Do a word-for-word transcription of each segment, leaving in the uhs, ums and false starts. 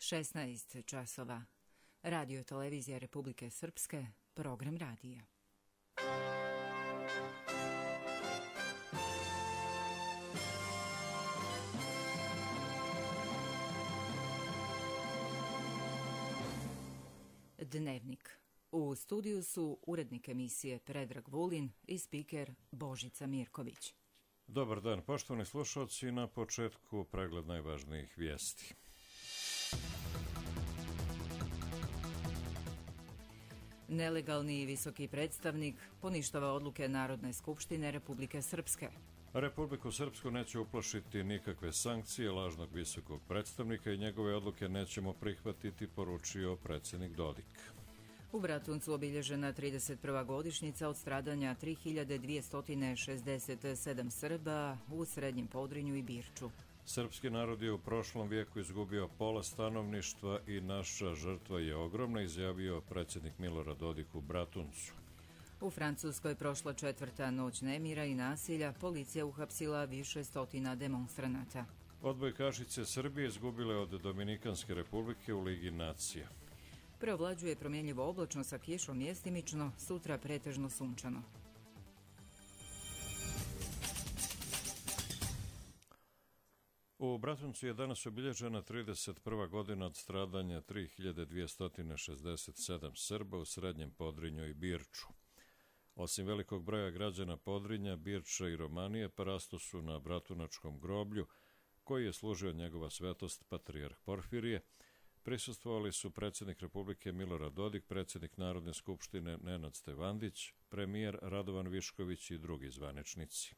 šesnaest časova. Radio televizija Republike Srpske, program radija. Dnevnik. U studiju su urednik emisije Predrag Vulin i spiker Božica Mirković. Dobar dan, poštovani slušalci, na početku pregled najvažnijih vijesti. Nelegalni visoki predstavnik poništava odluke Narodne skupštine Republike Srpske. Republiku Srpsku neće uplašiti nikakve sankcije lažnog visokog predstavnika i njegove odluke nećemo prihvatiti, poručio predsjednik Dodik. U Bratuncu obilježena trideset prva godišnjica od stradanja tri hiljade dvjesto šezdeset sedam Srba u Srednjem Podrinju i Birču. Srpski narod je u prošlom vijeku izgubio pola stanovništva i naša žrtva je ogromna, izjavio predsjednik Milorad Dodik u Bratuncu. U Francuskoj prošla četvrta noć nemira i nasilja, policija uhapsila više stotina demonstranata. Odbojkašice Srbije izgubile od Dominikanske republike u Ligi nacija. Preovlađuje promjenjivo oblačno sa kišom mjestimično, sutra pretežno sunčano. U Bratuncu je danas obilježena trideset prva godina od stradanja tri hiljade dvjesto šezdeset sedam Srba u Srednjem Podrinju i Birču. Osim velikog broja građana Podrinja, Birča i Romanije, parasto su na Bratunačkom groblju, koji je služio njegova svetost patrijarh Porfirije. Prisustvovali su predsjednik Republike Milorad Dodik, predsjednik Narodne skupštine Nenad Stevandić, premijer Radovan Višković i drugi zvaničnici.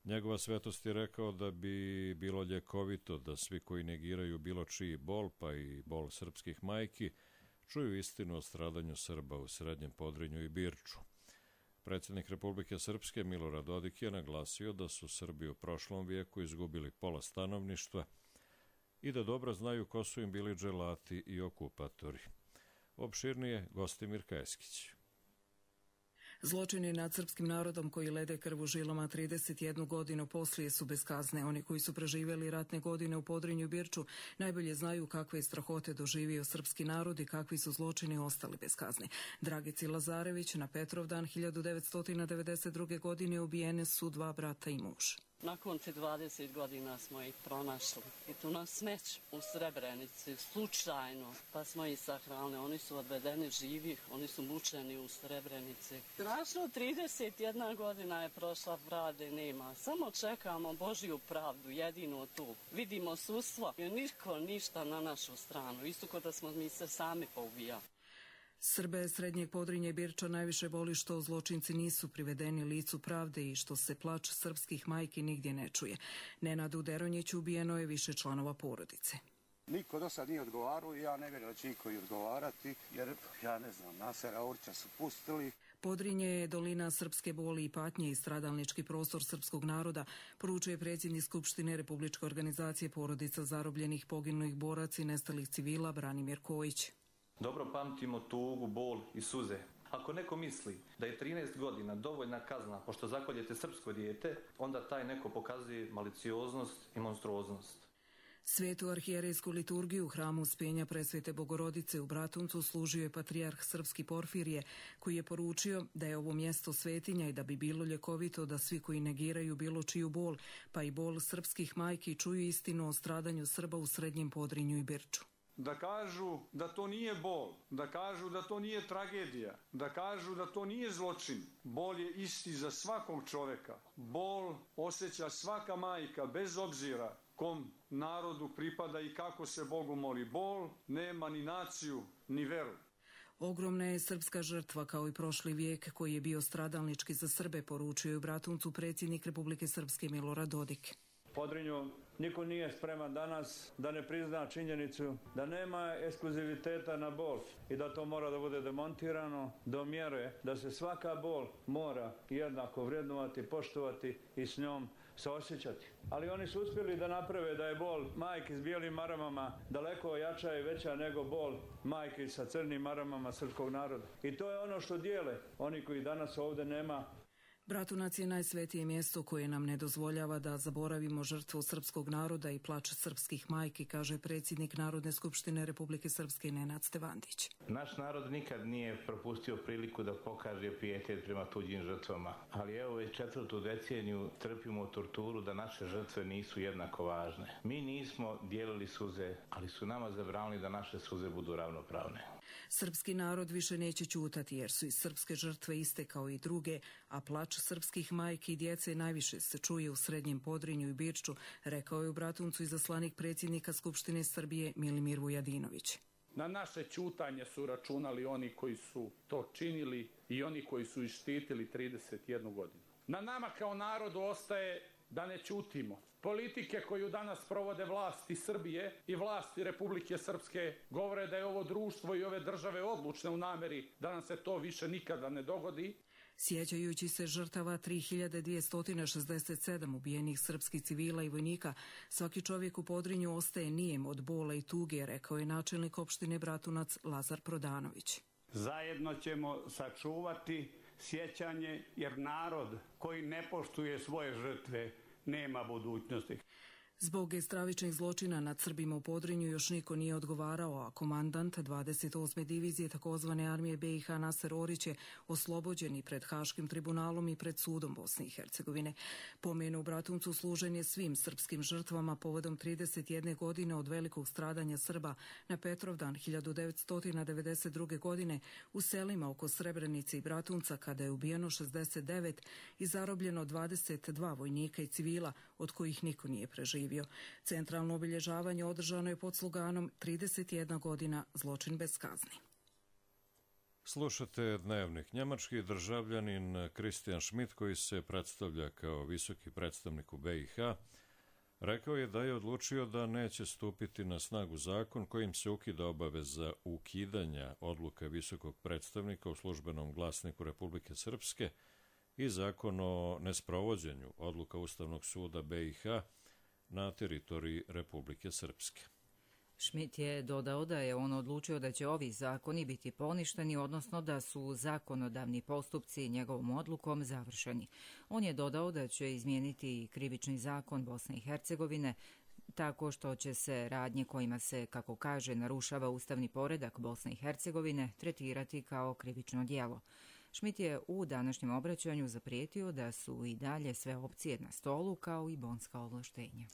Njegova svetost je rekao da bi bilo ljekovito da svi koji negiraju bilo čiji bol, pa i bol srpskih majki, čuju istinu o stradanju Srba u Srednjem Podrinju i Birču. Predsjednik Republike Srpske Milorad Dodik je naglasio da su Srbi u prošlom vijeku izgubili pola stanovništva i da dobro znaju ko su im bili dželati i okupatori. Opširnije Gostimir Kajeskić. Zločini nad srpskim narodom koji lede krv u žilama trideset jednu godinu poslije su bez kazne. Oni koji su preživjeli ratne godine u Podrinju i Birču najbolje znaju kakve je strahote doživio srpski narod i kakvi su zločini ostali bez kazne. Dragici Lazarević na Petrovdan hiljadu devetsto devedeset druge. godine ubijene su dva brata i muž. Nakon te dvadeset godina smo ih pronašli i tu na smeću u Srebrenici, slučajno, pa smo ih sahranili. Oni su odvedeni živih, oni su mučeni u Srebrenici. Strašno, trideset jedna godina je prošla, pravde nema. Samo čekamo Božju pravdu, jedino tu. Vidimo sudstvo i niko ništa na našu stranu, isto kao da smo mi se sami poubijali. Srbe Srednjeg Podrinja i Birča najviše boli što zločinci nisu privedeni licu pravde i što se plač srpskih majki nigdje ne čuje. Nenadu Deronjiću ubijeno je više članova porodice. Niko do sad nije odgovarao i ja ne vjerujem da će niko i odgovarati, jer ja ne znam, Nasera Orća su pustili. Podrinje je dolina srpske boli i patnje i stradalnički prostor srpskog naroda, poručuje predsjednik Skupštine Republičke organizacije porodica zarobljenih, poginulih boraca i nestalih civila Branimir Kojić. Dobro pamtimo tugu, bol i suze. Ako neko misli da je trinaest godina dovoljna kazna pošto zakoljete srpsko dijete, onda taj neko pokazuje malicioznost i monstruoznost. Svetu arhijerejsku liturgiju u hramu Uspenja Presvete Bogorodice u Bratuncu služio je patrijarh srpski Porfirije, koji je poručio da je ovo mjesto svetinja i da bi bilo ljekovito da svi koji negiraju bilo čiju bol, pa i bol srpskih majki, čuju istinu o stradanju Srba u Srednjem Podrinju i Birču. Da kažu da to nije bol, da kažu da to nije tragedija, da kažu da to nije zločin. Bol je isti za svakog čovjeka. Bol osjeća svaka majka bez obzira kom narodu pripada i kako se Bogu moli. Bol nema ni naciju, ni veru. Ogromna je srpska žrtva kao i prošli vijek koji je bio stradalnički za Srbe, poručuje u Bratuncu predsjednik Republike Srpske Milorad Dodik. Podrinju niko nije spreman danas da ne prizna činjenicu da nema ekskluziviteta na bol i da to mora da bude demontirano do mjere da se svaka bol mora jednako vrednovati, poštovati i s njom saosjećati. Ali oni su uspjeli da naprave da je bol majki s bijelim maramama daleko jača i veća nego bol majki sa crnim maramama srpskog naroda. I to je ono što dijele oni koji danas ovdje nema. Bratunac je najsvetije mjesto koje nam ne dozvoljava da zaboravimo žrtvu srpskog naroda i plač srpskih majki, kaže predsjednik Narodne skupštine Republike Srpske Nenad Stevandić. Naš narod nikad nije propustio priliku da pokaže pijetet prema tuđim žrtvama, ali evo već četvrtu deceniju trpimo torturu da naše žrtve nisu jednako važne. Mi nismo dijelili suze, ali su nama zabranili da naše suze budu ravnopravne. Srpski narod više neće ćutati jer su i srpske žrtve iste kao i druge, a plač srpskih majki i djece najviše se čuje u Srednjem Podrinju i Birču, rekao je u Bratuncu izaslanik predsjednika Skupštine Srbije Milimir Vujadinović. Na naše ćutanje su računali oni koji su to činili i oni koji su ih štitili trideset jednu godinu. Na nama kao narodu ostaje da ne ćutimo. Politike koju danas provode vlasti Srbije i vlasti Republike Srpske govore da je ovo društvo i ove države odlučne u nameri da nam se to više nikada ne dogodi. Sjećajući se žrtava tri hiljade dvjesto šezdeset sedam ubijenih srpskih civila i vojnika, svaki čovjek u Podrinju ostaje nijem od bola i tuge, rekao je načelnik opštine Bratunac Lazar Prodanović. Zajedno ćemo sačuvati sjećanje jer narod koji ne poštuje svoje žrtve nema budućnosti. Zbog stravičnih zločina nad Srbima u Podrinju još niko nije odgovarao, a komandant dvadeset osme divizije takozvane armije B i H Naser Orić je oslobođen i pred Haškim tribunalom i pred sudom Bosne i Hercegovine. Pomen u Bratuncu služen je svim srpskim žrtvama povodom trideset jedne godine od velikog stradanja Srba na Petrovdan hiljadu devetsto devedeset druge. godine u selima oko Srebrenice i Bratunca, kada je ubijeno šezdeset devet i zarobljeno dvadeset dva vojnika i civila, od kojih niko nije preživio. Centralno obilježavanje održano je pod sloganom trideset jedna godina zločin bez kazni. Slušate Dnevnik. Njemački državljanin Christian Schmidt, koji se predstavlja kao visoki predstavnik u B i H, rekao je da je odlučio da neće stupiti na snagu zakon kojim se ukida obaveza ukidanja odluka visokog predstavnika u službenom glasniku Republike Srpske i zakon o nesprovođenju odluka Ustavnog suda B i H na teritoriji Republike Srpske. Schmidt je dodao da je on odlučio da će ovi zakoni biti poništeni, odnosno da su zakonodavni postupci njegovom odlukom završeni. On je dodao da će izmijeniti i krivični zakon Bosne i Hercegovine tako što će se radnje kojima se, kako kaže, narušava ustavni poredak Bosne i Hercegovine tretirati kao krivično djelo. Schmidt je u današnjem obraćanju zaprijetio da su i dalje sve opcije na stolu, kao i bonska ovlaštenja.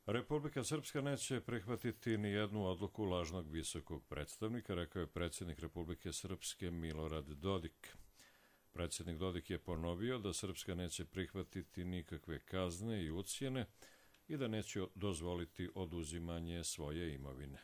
Republika Srpska neće prihvatiti ni jednu odluku lažnog visokog predstavnika, rekao je predsjednik Republike Srpske Milorad Dodik. Predsjednik Dodik je ponovio da Srpska neće prihvatiti nikakve kazne i ucjene i da neće dozvoliti oduzimanje svoje imovine.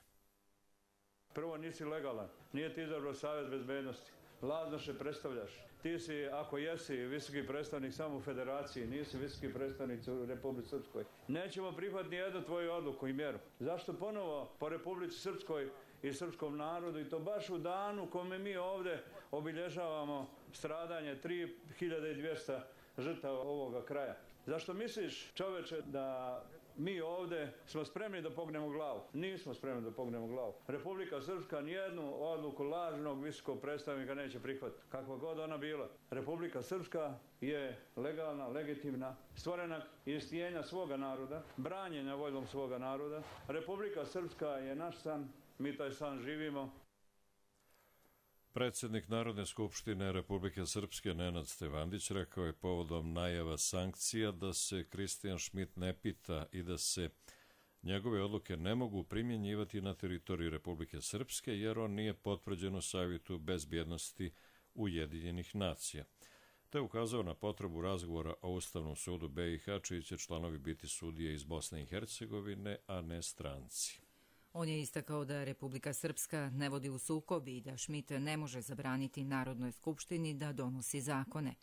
Prvo, nisi legalan, nije ti izabrao Savjet bezbednosti. Lažno se predstavljaš. Ti si, ako jesi visoki predstavnik samo u federaciji, nisi visoki predstavnik u Republici Srpskoj. Nećemo prihvatiti ni jednu tvoju odluku i mjeru. Zašto ponovo po Republici Srpskoj i srpskom narodu, i to baš u danu kome mi ovdje obilježavamo stradanje tri hiljade dvjesto žrtava ovoga kraja? Zašto misliš, čoveče, da mi ovdje smo spremni da pognemo glavu? Nismo spremni da pognemo glavu. Republika Srpska nijednu odluku lažnog visokog predstavnika neće prihvatiti, kakva god ona bila. Republika Srpska je legalna, legitimna, stvorena iz tijenja svoga naroda, branjenja voljom svoga naroda. Republika Srpska je naš san, mi taj san živimo. Predsjednik Narodne skupštine Republike Srpske Nenad Stevandić rekao je povodom najava sankcija da se Christian Schmidt ne pita i da se njegove odluke ne mogu primjenjivati na teritoriji Republike Srpske jer on nije potvrđen u Savjetu bezbjednosti Ujedinjenih nacija. Te je ukazao na potrebu razgovora o Ustavnom sudu B i H, čiji će članovi biti sudije iz Bosne i Hercegovine, a ne stranci. On je istakao da Republika Srpska ne vodi u sukob i da Schmidt ne može zabraniti Narodnoj skupštini da donosi zakone.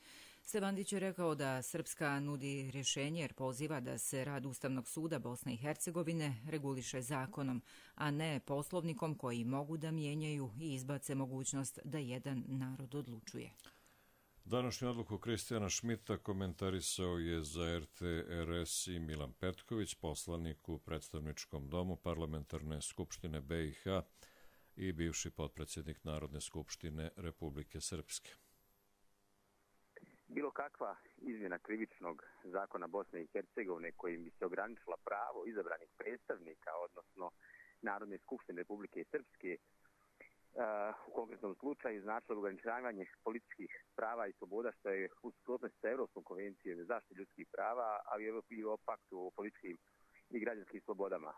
Stevandić je rekao da Srpska nudi rješenje jer poziva da se rad Ustavnog suda Bosne i Hercegovine reguliše zakonom, a ne poslovnikom koji mogu da mijenjaju i izbace mogućnost da jedan narod odlučuje. Današnju odluku Kristijana Schmidta komentarisao je za R T R S i Milan Petković, poslanik u predstavničkom domu Parlamentarne skupštine B i H i bivši potpredsjednik Narodne skupštine Republike Srpske. Bilo kakva izmjena krivičnog zakona Bosne i Hercegovine kojim bi se ograničila pravo izabranih predstavnika, odnosno Narodne skupštine Republike Srpske, u konkretnom slučaju značilo ograničavanje političkih prava i sloboda, što je u suprotnosti sa Evropskom konvencijom za zaštitu ljudskih prava, ali i o paktu o političkim i građanskim slobodama.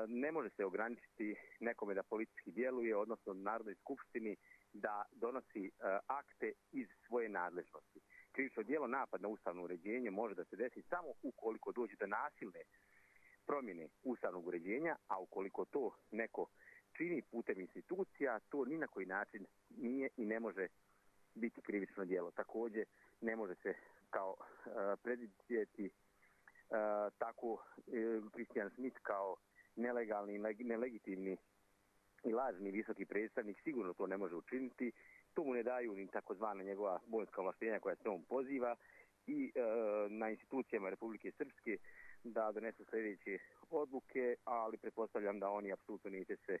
Ne može se ograničiti nekome da politički djeluje, odnosno Narodnoj skupštini da donosi akte iz svoje nadležnosti. Krivično djelo napad na ustavno uređenje može da se desi samo ukoliko dođe do nasilne promjene ustavnog uređenja, a ukoliko to neko čini putem institucija, to ni na koji način nije i ne može biti krivično djelo. Također ne može se kao uh, predvidjeti uh, tako Christian Schmidt kao nelegalni, nelegitimni i lažni visoki predstavnik sigurno to ne može učiniti. To mu ne daju ni takozvana njegova bolonjska ovlaštenja koja se on poziva i e, na institucijama Republike Srpske da donesu sljedeće odluke, ali pretpostavljam da oni apsolutno neće se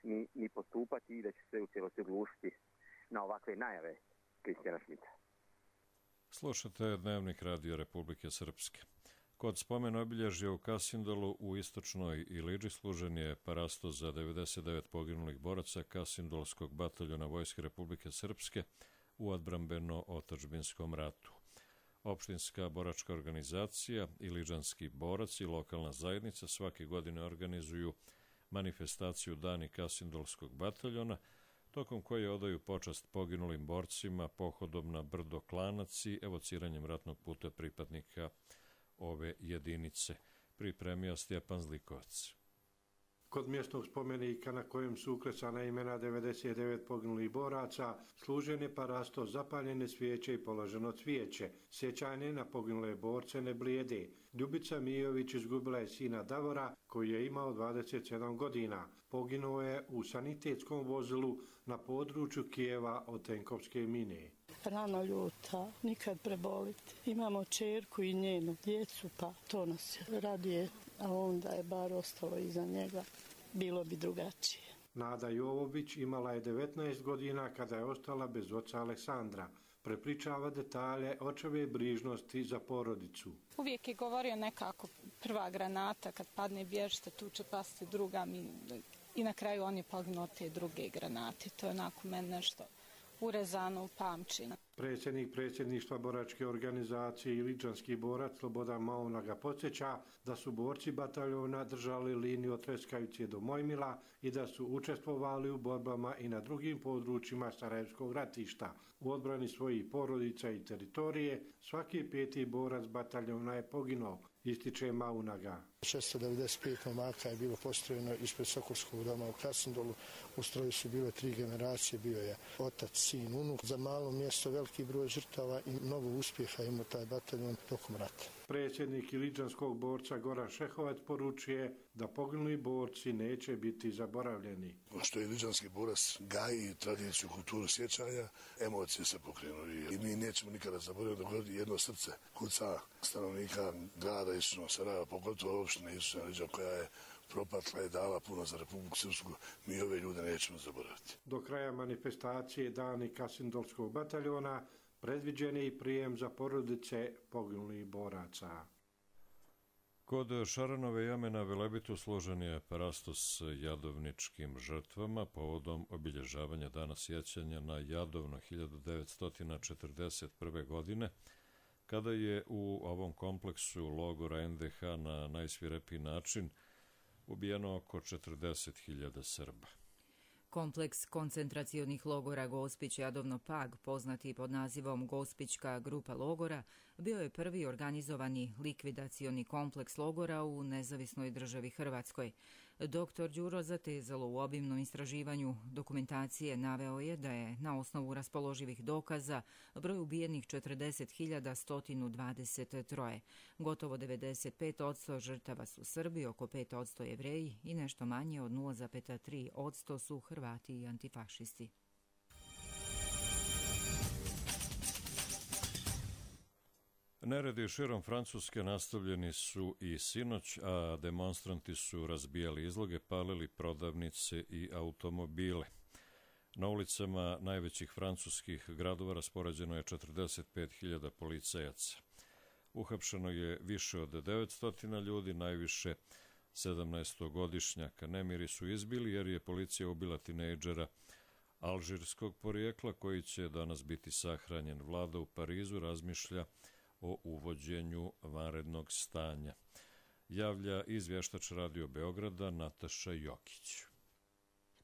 ni, ni postupati i da će se u cijelosti oglušiti na ovakve najave Kristijana Šmita. Slušate Dnevnik Radio Republike Srpske. Kod spomen obilježja u Kasindolu u istočnoj Iliđi služen je parasto za devedeset devet poginulih boraca Kasindolskog bataljona Vojske Republike Srpske u odbrambeno-otadžbinskom ratu. Opštinska boračka organizacija, Iliđanski borac i lokalna zajednica svake godine organizuju manifestaciju Dani Kasindolskog bataljona, tokom koje odaju počast poginulim borcima pohodom na brdo Klanac i evociranjem ratnog puta pripadnika ove jedinice, pripremio Stjepan Zlikovac. Kod mjesnog spomenika na kojem su uklesana imena devedeset devet poginulih boraca, služen je parasto, zapaljene svijeće i položeno cvijeće. Sjećanje na poginule borce ne blijede. Ljubica Mijović izgubila je sina Davora, koji je imao dvadeset sedam godina. Poginuo je u sanitetskom vozilu na području Kijeva od tenkovske mine. Rano ljuta, nikad preboliti. Imamo čerku i njenu djecu, pa to nas radije, a onda je bar ostalo iza njega. Bilo bi drugačije. Nada Jovović imala je devetnaest godina kada je ostala bez oca Aleksandra. Prepričava detalje očeve brižnosti za porodicu. Uvijek je govorio nekako prva granata, kad padne bježite, tu će pasti druga. I na kraju on je poginuo te druge granate. To je onako meni nešto urezano u pamćenju. Predsjednik predsjedništva boračke organizacije Iliđanski borac Slobodan Mauna ga podsjeća da su borci bataljona držali liniju od Treskavice do Mojmila i da su učestvovali u borbama i na drugim područjima Sarajevskog ratišta. U odbrani svojih porodica i teritorije svaki peti borac bataljona je poginuo, ističe Maunaga. šesto devedeset pet momaka je bilo postrojeno ispred Sokolskog doma u Krasnodolu. U stroju su bile tri generacije, bio je otac, sin, unuk. Za malo mjesto veliki broj žrtava i mnogo uspjeha imao taj bataljon tokom rata. Predsjednik Iliđanskog borca Goran Šehovac poručuje da poginuli borci neće biti zaboravljeni. Što je Iliđanski borac gaji tradiciju, kulturu sjećanja, emocije se pokrenuli i mi nećemo nikada zaboraviti da god jedno srce kuca stanovnika grada Istočnog Sarajeva, pogotovo opštine Istočna Iliđa koja je propatla i dala puno za Republiku Srpsku, mi ove ljude nećemo zaboraviti. Do kraja manifestacije Dani Kasindolskog bataljona predviđen je i prijem za porodice poginulih boraca. Kod Šaranove jame na Velebitu složen je parasto s jadovničkim žrtvama povodom obilježavanja dana sjećanja na Jadovno hiljadu devetsto četrdeset prve. godine, kada je u ovom kompleksu logora en de ha na najsvirepiji način ubijeno oko četrdeset hiljada Srba. Kompleks koncentracionih logora Gospić-Jadovno-Pag, poznati pod nazivom Gospićka grupa logora, bio je prvi organizovani likvidacioni kompleks logora u nezavisnoj državi Hrvatskoj. Doktor Đuro Zatezalo u obimnom istraživanju dokumentacije naveo je da je na osnovu raspoloživih dokaza broj ubijenih četrdeset hiljada sto dvadeset tri. Gotovo devedeset pet posto žrtava su Srbi, oko pet posto Jevreji i nešto manje od nula zarez tri posto su Hrvati i antifašisti. Neredi širom Francuske nastavljeni su i sinoć, a demonstranti su razbijali izloge, palili prodavnice i automobile. Na ulicama najvećih francuskih gradova raspoređeno je četrdeset pet hiljada policajaca. Uhapšeno je više od devetsto ljudi, najviše sedamnaestogodišnjaka. Nemiri su izbili jer je policija ubila tinejdžera alžirskog porijekla koji će danas biti sahranjen. Vlada u Parizu razmišlja o uvođenju vanrednog stanja. Javlja izvještač Radio Beograda Nataša Jokić.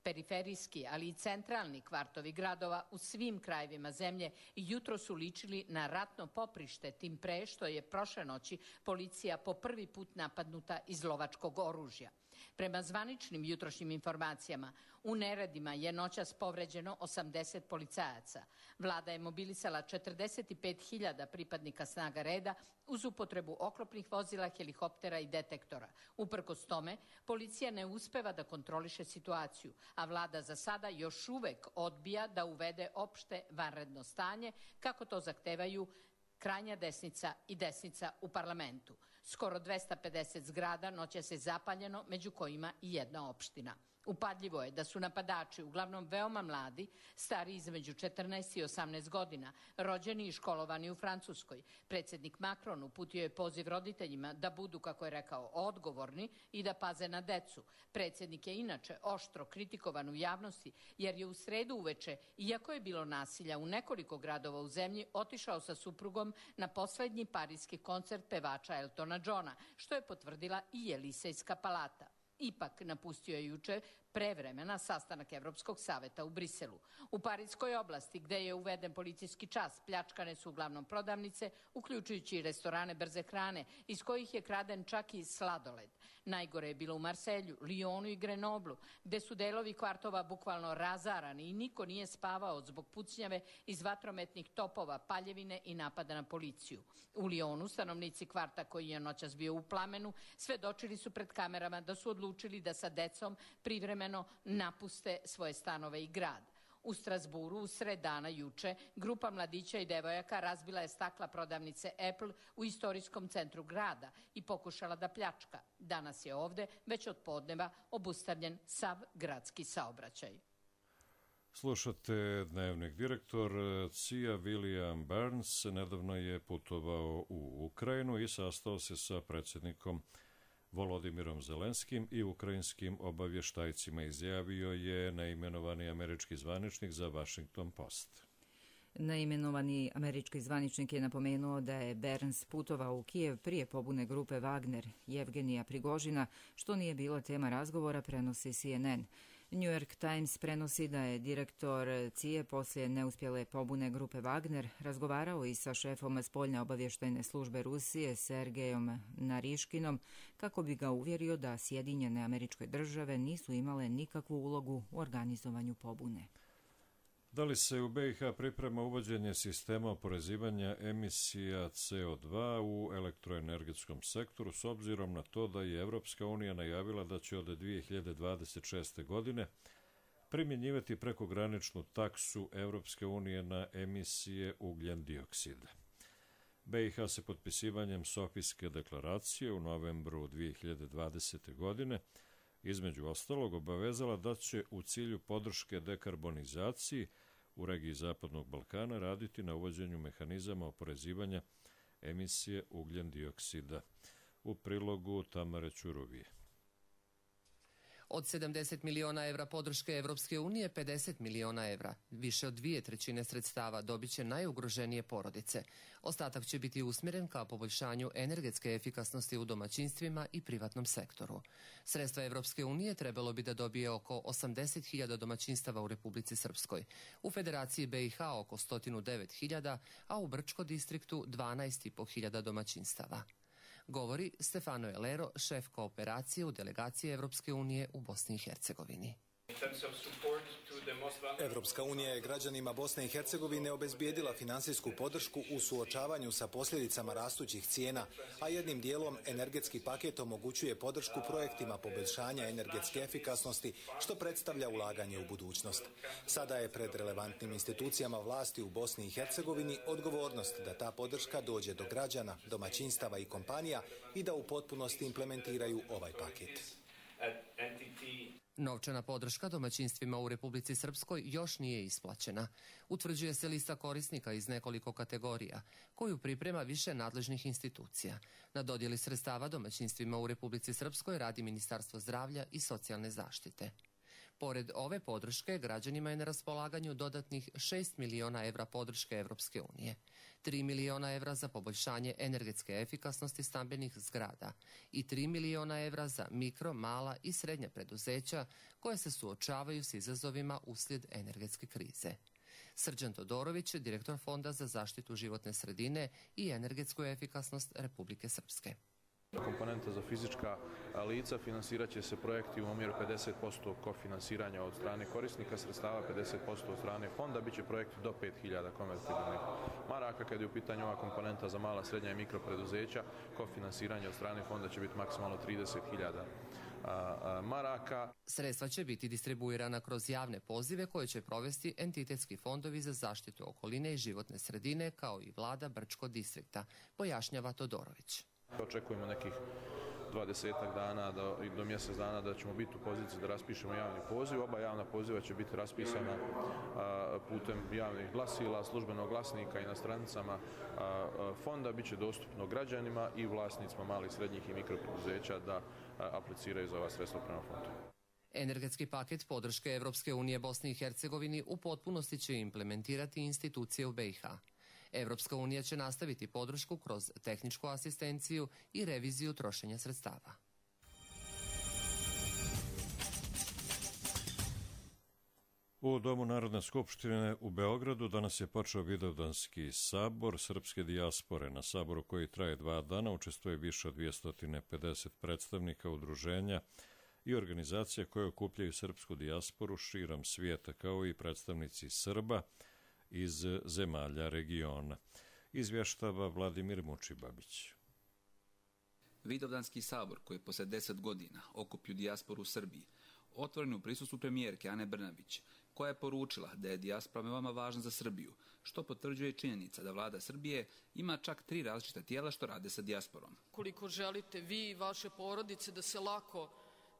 Periferijski, ali i centralni kvartovi gradova u svim krajevima zemlje jutro su ličili na ratno poprište, tim pre što je prošle noći policija po prvi put napadnuta iz lovačkog oružja. Prema zvaničnim jutrošnjim informacijama, u neredima je noćas povređeno osamdeset policajaca. Vlada je mobilisala četrdeset pet hiljada pripadnika snaga reda uz upotrebu oklopnih vozila, helikoptera i detektora. Uprkos tome, policija ne uspeva da kontroliše situaciju, a vlada za sada još uvek odbija da uvede opšte vanredno stanje, kako to zahtevaju krajnja desnica i desnica u parlamentu. Skoro dvesta pedeset zgrada noćas je zapaljeno, među kojima i jedna opština. Upadljivo je da su napadači uglavnom veoma mladi, stari između četrnaest i osamnaest godina, rođeni i školovani u Francuskoj. Predsjednik Macron uputio je poziv roditeljima da budu, kako je rekao, odgovorni i da paze na decu. Predsjednik je inače oštro kritikovan u javnosti jer je u sredu uveče, iako je bilo nasilja u nekoliko gradova u zemlji, otišao sa suprugom na poslednji parijski koncert pevača Eltona Johna, što je potvrdila i Elisejska palata. Ipak napustio je juče pre vremena sastanak Evropskog saveta u Briselu. U Parijskoj oblasti, gde je uveden policijski čas, pljačkane su uglavnom prodavnice, uključujući i restorane brze hrane, iz kojih je kraden čak i sladoled. Najgore je bilo u Marselju, Lyonu i Grenoblu, gde su delovi kvartova bukvalno razarani i niko nije spavao zbog pucnjave iz vatrometnih topova, paljevine i napada na policiju. U Lyonu stanovnici kvarta, koji je noćas bio u plamenu, svedočili su pred kamerama da su odlučili da sa decom privremeno napuste svoje stanove i grad. U Strasburu, u sred dana juče, grupa mladića i devojaka razbila je stakla prodavnice Apple u istorijskom centru grada i pokušala da pljačka. Danas je ovde, već od podneva, obustavljen sav gradski saobraćaj. Slušate dnevnik. Direktor C I A William Burns nedavno je putovao u Ukrajinu i sastao se sa predsjednikom Volodimirom Zelenskim i ukrajinskim obavještajcima, izjavio je neimenovani američki zvaničnik za Washington Post. Neimenovani američki zvaničnik je napomenuo da je Burns putovao u Kijev prije pobune grupe Wagner Jevgenija Prigožina, što nije bila tema razgovora, prenosi C N N. New York Times prenosi da je direktor C I A poslije neuspjele pobune grupe Wagner razgovarao i sa šefom spoljne obavještajne službe Rusije Sergejom Nariškinom kako bi ga uvjerio da Sjedinjene Američke Države nisu imale nikakvu ulogu u organizovanju pobune. Da li se u B i H priprema uvođenje sistema oporezivanja emisija C O dva u elektroenergetskom sektoru s obzirom na to da je Evropska unija najavila da će od dvije hiljade dvadeset šeste. godine primjenjivati prekograničnu taksu Evropske unije na emisije ugljen dioksida. B i H se potpisivanjem Sofijske deklaracije u novembru dvije hiljade dvadesete. godine između ostalog obavezala da će u cilju podrške dekarbonizaciji u regiji Zapadnog Balkana raditi na uvođenju mehanizama oporezivanja emisije ugljen dioksida. U prilogu Tamare Ćuruvije. Od sedamdeset miliona evra podrške Evropske unije, pedeset miliona evra, više od dvije trećine sredstava dobit će najugroženije porodice. Ostatak će biti usmjeren ka poboljšanju energetske efikasnosti u domaćinstvima i privatnom sektoru. Sredstva Evropske unije trebalo bi da dobije oko osamdeset hiljada domaćinstava u Republici Srpskoj, u Federaciji B i H oko sto devet hiljada, a u Brčko distriktu dvanaest i po hiljada domaćinstava. Govori Stefano Elero, šef kooperacije u delegaciji Evropske unije u Bosni i Hercegovini. Evropska unija je građanima Bosne i Hercegovine obezbijedila finansijsku podršku u suočavanju sa posljedicama rastućih cijena, a jednim dijelom energetski paket omogućuje podršku projektima poboljšanja energetske efikasnosti, što predstavlja ulaganje u budućnost. Sada je pred relevantnim institucijama vlasti u Bosni i Hercegovini odgovornost da ta podrška dođe do građana, domaćinstava i kompanija i da u potpunosti implementiraju ovaj paket. Novčana podrška domaćinstvima u Republici Srpskoj još nije isplaćena. Utvrđuje se lista korisnika iz nekoliko kategorija, koju priprema više nadležnih institucija. Na dodjeli sredstava domaćinstvima u Republici Srpskoj radi Ministarstvo zdravlja i socijalne zaštite. Pored ove podrške, građanima je na raspolaganju dodatnih šest miliona evra podrške Evropske unije, tri miliona evra za poboljšanje energetske efikasnosti stambenih zgrada i tri miliona evra za mikro, mala i srednja preduzeća koje se suočavaju s izazovima uslijed energetske krize. Srđan Todorović, direktor Fonda za zaštitu životne sredine i energetsku efikasnost Republike Srpske. Komponenta za fizička lica finansirat će se projekti u omjeru pedeset posto kofinansiranja od strane korisnika sredstava, pedeset posto od strane fonda, bit će projekti do pet hiljada konvertibilnih maraka. Kad je u pitanju ova komponenta za mala, srednja i mikropreduzeća, kofinansiranje od strane fonda će biti maksimalno trideset hiljada maraka. Sredstva će biti distribuirana kroz javne pozive koje će provesti entitetski fondovi za zaštitu okoline i životne sredine kao i vlada Brčko distrikta, pojašnjava Todorović. Očekujemo nekih dvadesetak dana do, do mjesec dana da ćemo biti u poziciji da raspišemo javni poziv. Oba javna poziva će biti raspisana a, putem javnih glasila, službenog glasnika i na stranicama a, a, fonda. Biće dostupno građanima i vlasnicima malih, srednjih i mikropreduzeća da a, apliciraju za ova sredstva prema fondu. Energetski paket podrške Evropske unije Bosni i Hercegovini u potpunosti će implementirati institucije u B i H. Evropska unija će nastaviti podršku kroz tehničku asistenciju i reviziju trošenja sredstava. U Domu Narodne skupštine u Beogradu danas je počeo Vidovdanski sabor srpske dijaspore. Na saboru koji traje dva dana učestvuje više od dvjesto pedeset predstavnika udruženja i organizacija koje okupljaju srpsku dijasporu širom svijeta, kao i predstavnici Srba iz zemalja regiona. Izvještava Vladimir Mučibabić. Vidovdanski sabor, koji je posle deset godina okupio dijasporu u Srbiji, otvoren u prisustvu premijerke Ane Brnabić, koja je poručila da je dijaspora veoma važna za Srbiju, što potvrđuje činjenica da vlada Srbije ima čak tri različita tijela što rade sa dijasporom. Koliko želite vi i vaše porodice da se lako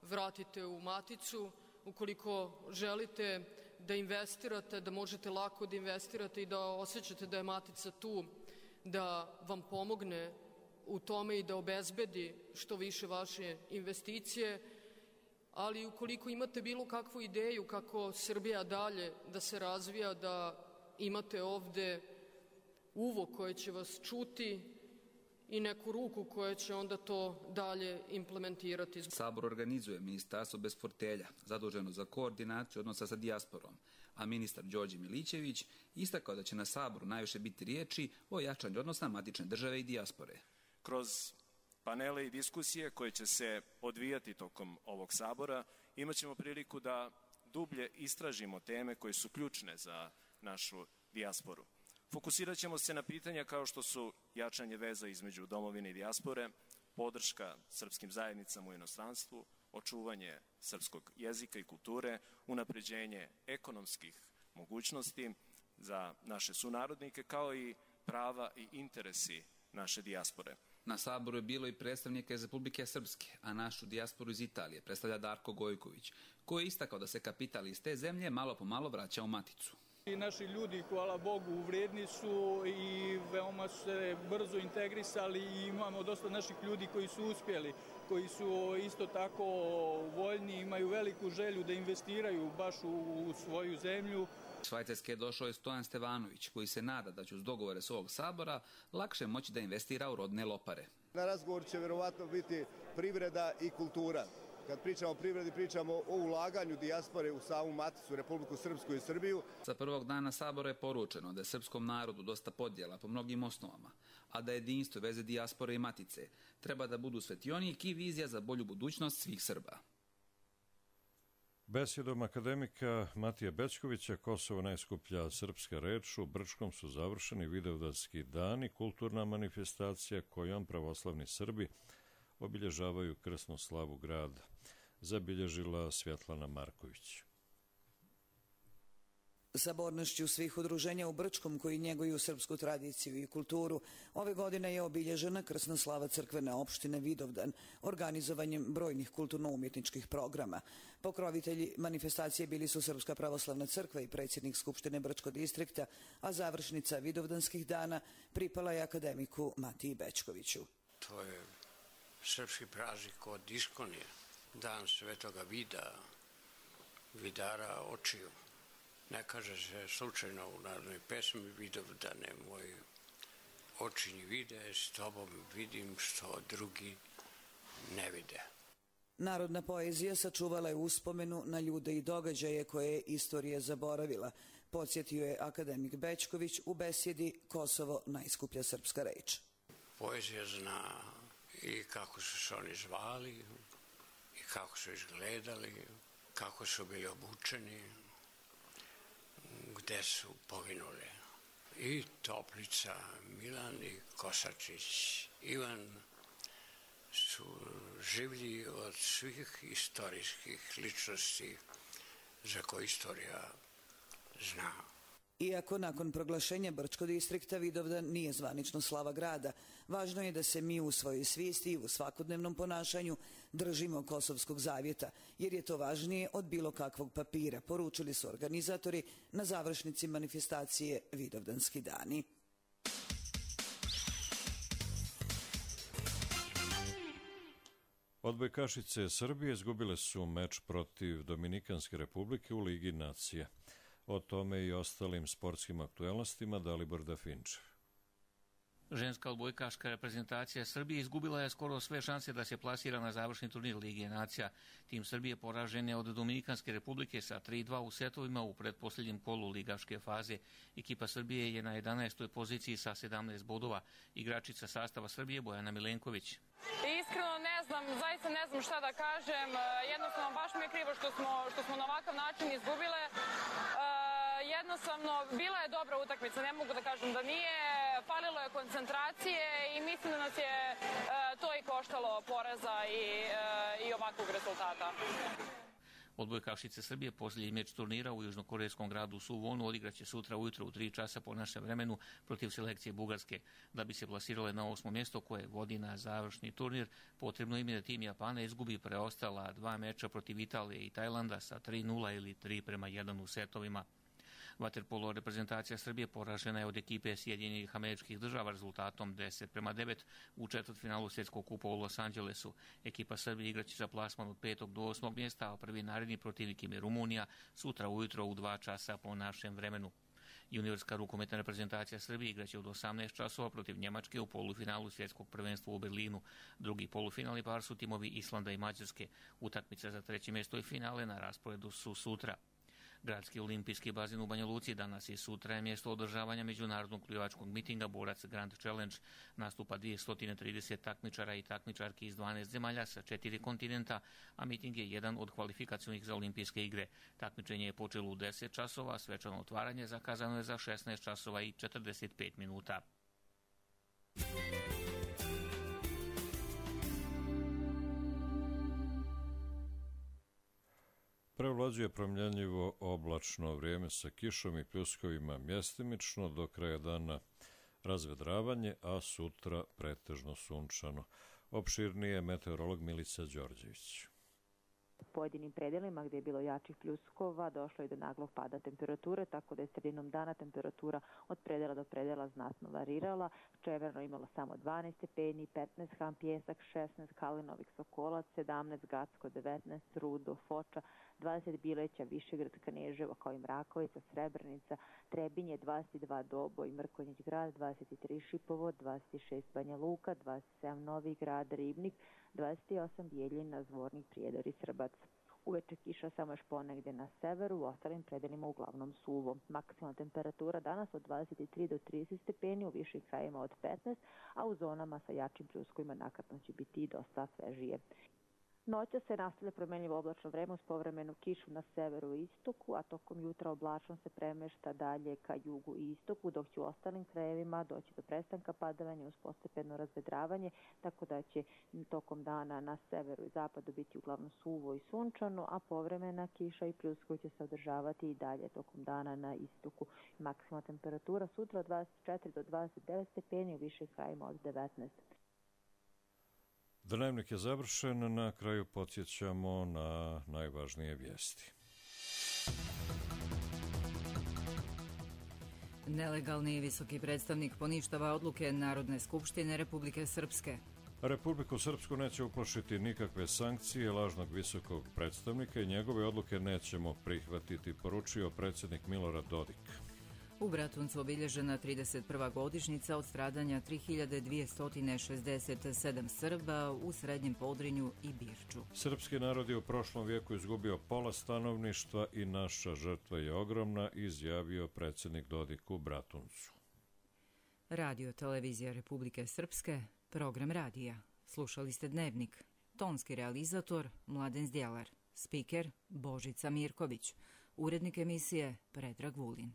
vratite u maticu, ukoliko želite da investirate, da možete lako da investirate i da osjećate da je matica tu, da vam pomogne u tome i da obezbedi što više vaše investicije, ali ukoliko imate bilo kakvu ideju kako Srbija dalje da se razvija, da imate ovde uvo koje će vas čuti i neku ruku koja će onda to dalje implementirati. Sabor organizuje Ministarstvo bez portfelja, zaduženo za koordinaciju odnosa sa dijasporom, a ministar Đorđe Milićević istakao da će na Saboru najviše biti riječi o jačanju odnosa matične države i dijaspore. Kroz panele i diskusije koje će se odvijati tokom ovog sabora, imat ćemo priliku da dublje istražimo teme koje su ključne za našu dijasporu. Fokusirat ćemo se na pitanja kao što su jačanje veza između domovine i dijaspore, podrška srpskim zajednicama u inostranstvu, očuvanje srpskog jezika i kulture, unapređenje ekonomskih mogućnosti za naše sunarodnike, kao i prava i interesi naše dijaspore. Na saboru je bilo i predstavnika iz Republike Srpske, a našu dijasporu iz Italije predstavlja Darko Gojković, koji je istakao da se kapital iz te zemlje malo po malo vraća u maticu. I naši ljudi, hvala Bogu, vrijedni su i veoma su se brzo integrisali i imamo dosta naših ljudi koji su uspjeli, koji su isto tako voljni, imaju veliku želju da investiraju baš u, u svoju zemlju. Švajcarske je došao i Stojan Stevanović, koji se nada da će uz dogovore s ovog sabora lakše moći da investira u rodne lopare. Na razgovor će verovatno biti privreda i kultura. Kad pričamo o privredi, pričamo o ulaganju dijaspore u samu maticu Republiku Srpsku i Srbiju. Sa prvog dana sabora je poručeno da je srpskom narodu dosta podjela po mnogim osnovama, a da jedinstvo veze dijaspore i matice treba da budu svetionik i vizija za bolju budućnost svih Srba. Besjedom akademika Matije Bećkovića Kosovo najskuplja srpska reč u Brčkom su završeni Vidovdanski dani, kulturna manifestacija kojom pravoslavni Srbi obilježavaju krsnu slavu grada, zabilježila Svjetlana Marković. Sabornošću svih udruženja u Brčkom koji njeguju srpsku tradiciju i kulturu, ove godine je obilježena krsna slava crkvene opštine Vidovdan, organizovanjem brojnih kulturno-umjetničkih programa. Pokrovitelji manifestacije bili su Srpska pravoslavna crkva i predsjednik Skupštine Brčkog distrikta, a završnica Vidovdanskih dana pripala je akademiku Matiji Bećkoviću. To je srpski praznik od Iskonije, dan svetoga vida, vidara očiju. Ne kaže se slučajno u narodnoj pesmi Vidovdane, moji očinji vide, s tobom vidim što drugi ne vide. Narodna poezija sačuvala je uspomenu na ljude i događaje koje je istorija zaboravila, podsjetio je akademik Bećković u besjedi Kosovo najskuplja srpska reč. Poezija zna i kako su se oni zvali, i kako su izgledali, kako su bili obučeni, gde su poginuli. I Toplica, Milan i Kosačić, Ivan su življi od svih istorijskih ličnosti za koje istorija zna. Iako nakon proglašenja Brčkog distrikta Vidovdan nije zvanično slava grada, važno je da se mi u svojoj svijesti i u svakodnevnom ponašanju držimo Kosovskog zavjeta, jer je to važnije od bilo kakvog papira, poručili su organizatori na završnici manifestacije Vidovdanski dani. Odbojkašice Srbije izgubile su meč protiv Dominikanske republike u Ligi nacija. O tome i ostalim sportskim aktuelnostima Dalibor Dafinčev. Ženska odbojkaška reprezentacija Srbije izgubila je skoro sve šanse da se plasira na završni turnir Lige nacija. Tim Srbije poražen je od Dominikanske republike sa tri dva u setovima u pretposljednjem kolu ligaške faze. Ekipa Srbije je na jedanaestoj poziciji sa sedamnaest bodova. Igračica sastava Srbije Bojana Milenković. Iskreno ne znam, zaista ne znam šta da kažem. Jednostavno baš mi je krivo što smo, što smo na ovakav način izgubile. Jednostavno, bila je dobra utakmica, ne mogu da kažem da nije, falilo je koncentracije i mislim da nas je e, to i koštalo poraza i, e, i ovakvog rezultata. Odbojkašice Srbije posljednji meč turnira u južnokorejskom gradu Suvonu odigraće sutra ujutro u tri časa po našem vremenu protiv selekcije Bugarske. Da bi se plasirale na osmo mjesto koje vodi na završni turnir, potrebno im je da tim Japana izgubi preostala dva meča protiv Italije i Tajlanda sa tri nula ili tri prema jedan u setovima. Vaterpolo reprezentacija Srbije poražena je od ekipe Sjedinjenih Američkih Država rezultatom deset prema devet u četvrtfinalu svjetskog kupa u Los Angelesu. Ekipa Srbije igraće za plasman od petog do osmog mjesta, a prvi naredni protivnik im je Rumunija sutra ujutro u dva časa po našem vremenu. Juniorska rukometna reprezentacija Srbije igraće od osamnaest časova protiv Njemačke u polufinalu svjetskog prvenstva u Berlinu. Drugi polufinalni par su timovi Islanda i Mađarske. Utakmice za treće mjesto i finale na rasporedu su sutra. Gradski olimpijski bazen u Banja Luci danas i sutra je mjesto održavanja međunarodnog plivačkog mitinga Borac Grand Challenge. Nastupa dvjesto trideset takmičara i takmičarki iz dvanaest zemalja sa četiri kontinenta, a miting je jedan od kvalifikacionih za olimpijske igre. Takmičenje je počelo u deset časova, a svečano otvaranje zakazano je za šesnaest časova i četrdeset pet minuta. Prevlađuje promjenjivo oblačno vrijeme sa kišom i pljuskovima mjestimično, do kraja dana razvedravanje, a sutra pretežno sunčano. Opširnije meteorolog Milica Đorđević. U pojedinim predelima gdje je bilo jačih pljuskova došlo je do naglog pada temperature, tako da je sredinom dana temperatura od predela do predela znatno varirala. Čeverno imalo samo dvanaest stepeni, petnaest Ham Pjesak, šesnaest Kalinovik Sokolac, sedamnaest Gacko, devetnaest Rudo, Foča, dvadeset Bileća, Višegrad, Kneževo, kao i Mrakovica, Srebrenica, Trebinje, dvadeset dva Doboj, Mrkonjić Grad, dvadeset tri Šipovo, dvadeset šest Banja Luka, dvadeset sedam Novi Grad, Ribnik, dvadeset osam Bijeljina, Zvornik, Prijedor i Srbac. Uveče kiša samo još ponegdje na severu, u ostalim predelima uglavnom suvo. Maksimalna temperatura danas od dvadeset tri do trideset stepeni, u višim krajima od petnaest, a u zonama sa jačim pljuskovima nakratno će biti i dosta svežije. Noća se nastavlja promenljivo oblačno vreme uz povremenu kišu na severu i istoku, a tokom jutra oblačnost se premešta dalje ka jugu i istoku, dok će u ostalim krajevima doći do prestanka padavanja uz postepeno razvedravanje, tako da će tokom dana na severu i zapadu biti uglavnom suvo i sunčano, a povremena kiša i pljuska će se održavati i dalje tokom dana na istoku. Maksimalna temperatura sutra od dvadeset četiri do dvadeset devet stepeni, u višim krajima od devetnaest. Dnevnik je završen, na kraju podsjećamo na najvažnije vijesti. Nelegalni visoki predstavnik poništava odluke Narodne skupštine Republike Srpske. Republiku Srpsku neće uplašiti nikakve sankcije lažnog visokog predstavnika i njegove odluke nećemo prihvatiti, poručio predsjednik Milorad Dodik. U Bratuncu obilježena trideset prva godišnjica od stradanja tri hiljade dvjesto šezdeset sedam Srba u Srednjem Podrinju i Birču. Srpski narod je u prošlom vijeku izgubio pola stanovništva i naša žrtva je ogromna, izjavio predsjednik Dodik u Bratuncu. Radio televizija Republike Srpske, program radija. Slušali ste Dnevnik. Tonski realizator Mladen Zdjelar. Spiker Božica Mirković. Urednik emisije Predrag Vulin.